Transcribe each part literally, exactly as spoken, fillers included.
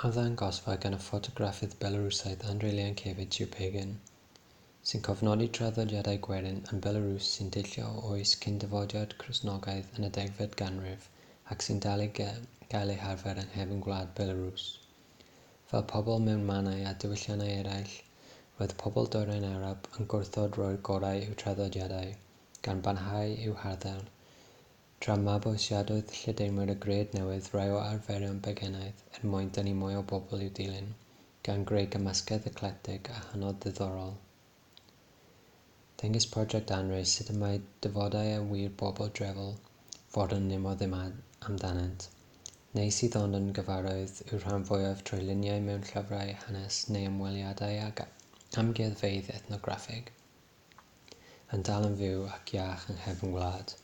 Arddangosfa gan y ffotograffydd Belarwsaidd Andrei Leyankevich yw Pagan, sy'n cofnodi traddodiadau gwerin yn Belarws sy'n deillio o oes cyn dyfodiad Cristnogaeth yn y degfed ganrif ac sy'n dal i gael eu harfer yng nghefn gwlad Belarws. Fel pobl mewn mannau a diwylliannau eraill, roedd pobl Dwyrain Ewrop yn gwrthod rhoi'r gorau i'w traddodiadau, gan barhau i'w harddel, tra mabwysiadodd lledaenwyr y gred newydd rai o arferion paganaidd er mwyn denu mwy o bobl i'w dilyn, gan greu cymysgedd eclectig a hynod ddiddorol. Dengys Prosiect Andrei sut y mae defodau a ŵyr bobl drefol fodern nemor ddim amdanynt, neu sydd ond yn gyfarwydd i'w rhan fwyaf trwy luniau mewn llyfrau hanes neu ymweliadau ag amgueddfeydd ethnograffig, yn dal yn fyw ac iach yng nghefn gwlad.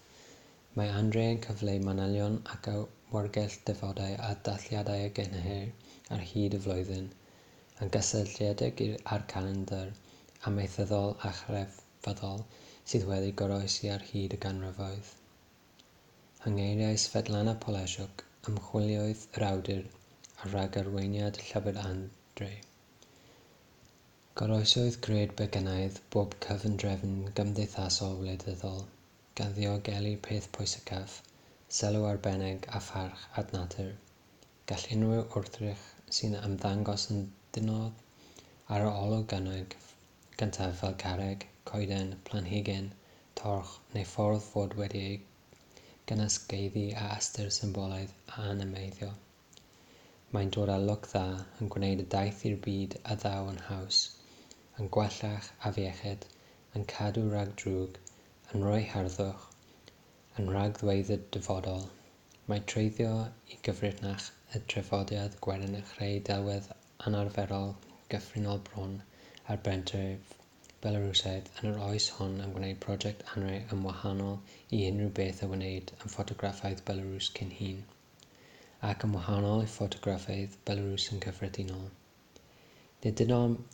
Mae Andrei yn cyfleu manylion ac awyrgylch defodau a dathliadau a gynhelir ar hyd y flwyddyn, yn gysylltiedig â'r calendr amaethyddol a chrefyddol sydd wedi goroesi ar hyd y ganrifoedd. Yng ngeiriau Svetlana Poleshuk, ymchwilydd yr awdur a rhagarweiniad llyfr Andrei. Goroesodd gred Begynaidd bob cyfundrefn gymdeithasol wleidyddol, gan ddiogelu peth pwysicaf, sylw arbennig a pharch at natur. Gall unrhyw wrthrych sy'n ymddangos yn ddinod ar yr olwg gyntaf fel carreg, coeden, planhigyn, torch neu ffordd fod wedi ei gynysgaeddu â ystyr symbolaidd a animeiddio. Mae'n dod â lwc dda, yn gwneud y daith i'r byd a ddaw yn haws, yn gwella'ch afiechyd, yn cadw rhag drwg, yn rhoi harddwch, yn rhagddweud y dyfodol. Mae treiddio i gyfrinach y traddodiad gwerin a chreu delwedd anarferol gyffredinol bron ar bentref Belarwsaidd yn yr oes hon yn gwneud Prosiect Andrei yn wahanol i unrhyw beth a wnaed yn ffotograffaidd Belarws cyn hyn, ac yn wahanol i ffotograffydd Belarws yn gyffredinol. Nid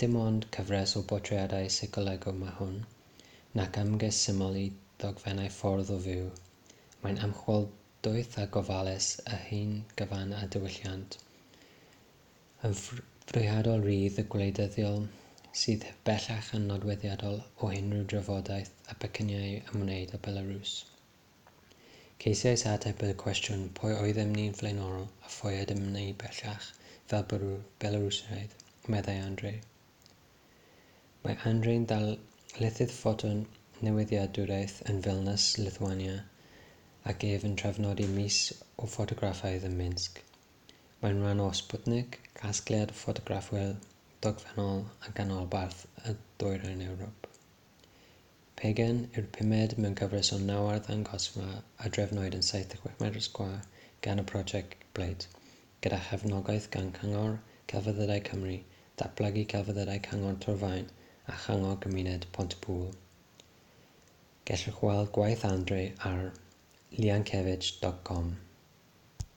dim ond cyfres o bortreadau seicolegol mae hwn, nac ymgais syml i ddogfennu ffordd o fyw. Mae'n ymchwil doeth a gofalus y hen gyfan a diwylliant, yn fwriadol rydd a gwleidyddol sydd bellach yn nodweddiadol o unrhyw drafodaeth a pecynnau ymwneud â Belarws. Ceisiais ateb y cwestiwn pwy oeddem ni'n flaenorol a phwy ydym ni bellach fel Belarusiaid, meddai Andrei. Mae Andrei'n ddarlithydd ffoto newyddiaduraeth yn Vilnius, Lithuania, ac ef yn trefnodi mis o ffotograffaidd ym Minsk. Mae'n rhan o Sputnik, casgliad o ffotograffwyr dogfennol a ganolbarth y Dwyrain Ewrop. Pagan yw'r pumed mewn cyfres o naw arddangosfa a drefnwyd yn saith deg chwech metr sgwâr gan y Prosiect Plate, gyda chefnogaeth gan Cyngor Celfyddydau Cymru, Datblygu Celfyddydau Cyngor Torfaen a Chyngor Gymuned Pontypŵl. Gellwch weld gwaith Andrei ar leyankevich dot com.